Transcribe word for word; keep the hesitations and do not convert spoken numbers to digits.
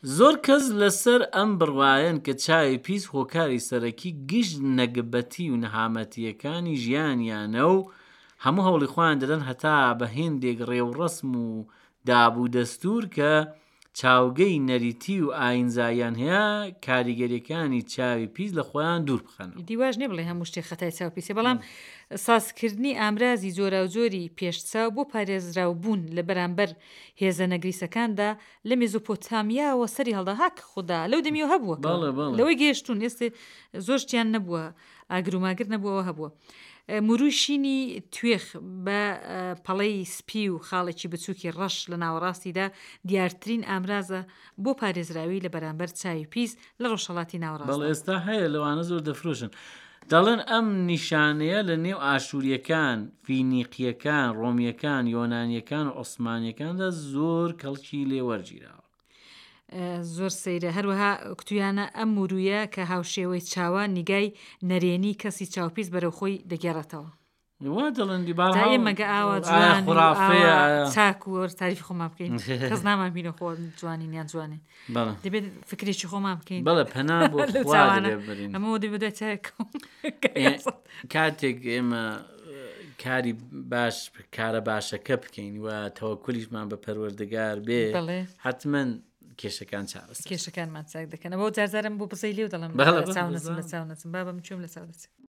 زۆر کەس لەسەر ئەم بڕوایەن کە چاوی پیس هۆکاری سەرەکی گشت نەگبەتی و نەهامەتییەکانی ژیانیانە و هەموو هەوڵی خۆیان دەدەن هەتا بە هێندێک ڕێوڕەسم و داب و دەستوور کە چاوگەی نەریتی و ئاینزاییان هەیە کاریگەریەکانی چاوی پیس لە خۆیان دوور بخەنەوە. ئیدی واش نیە بڵێ هەموو شتێک خەتای چاو پیسە بەڵام سازکردنی ئامرازی جۆراوجۆری پێش چاو بۆ پارێزراوبوون لە بەرامبەر هێزە نەگریسەکاندا لە مێزۆپۆتامیاوە سەری هەڵدا هاک خودا لەو دەمیەوە هەبووە کە بەڵێ بەڵێ. لەوەی گەیشتوون ئێستێ زۆر شتیان نەبووە ئاگر و ماگر نەبووەوە هەبووە موروی شینی توێخ بە پەڵەی سپی و خاڵێکی بچووکی ڕەش لە ناوەڕاستیدا دیارترین ئامرازە بۆ پارێزراوی لە بەرامبەر چاوی پیس لە ڕۆژهەڵاتی بەڵێ ناوەڕاستدا. ئێستا هەیە لەوانە زۆر دەفرۆشن دەڵێن ئەم نیشانەیە لە نێو ئاشووریەکان فینیقیەکان ڕۆمیەکان یۆنانیەکان و عوسمانیەکاندا زۆر کەڵکی لێ وەرگیراوە. زۆر سەیرە هەروەها کوتویانە ئەم مورویە کە هاوشێوەی چاوە نیگای نەرێنی کەسی چاوپیس بەرەو خۆی دەگێڕێتەوە. وا دەڵێن دی جا بەهەرحاڵ ئێمە گە ئاوا ئایا جوان و خورافەیە ئاوا ئایا چاک و وەر تاریفی خۆمان بکەین کەس نامان بینە خۆ جوانین یان جوانین بەڵێ دەبێت فکرێکی خۆمان بکەین بەڵێ پەنا بۆ لەو خوا چاوانە دەبێ ببرین. ئەمە دەبێت بەدوای چاوێکەوە. ئێ، کاتێک ئێمە کاری باش کارە باشەکە بکەین و تەوەکولیشمان بە پەروەردگار بێ بەڵێ. حتمما کێشەکان چارەسەر کێشەکانمان چاک دەکەن ئەوە جارجارم بۆ بزەی لێو دەڵێم بەڵێ، لە چاو بەڵێ، نەچم لە بزانم. چاو نەچم بابم کوێم لە چاو دەچم.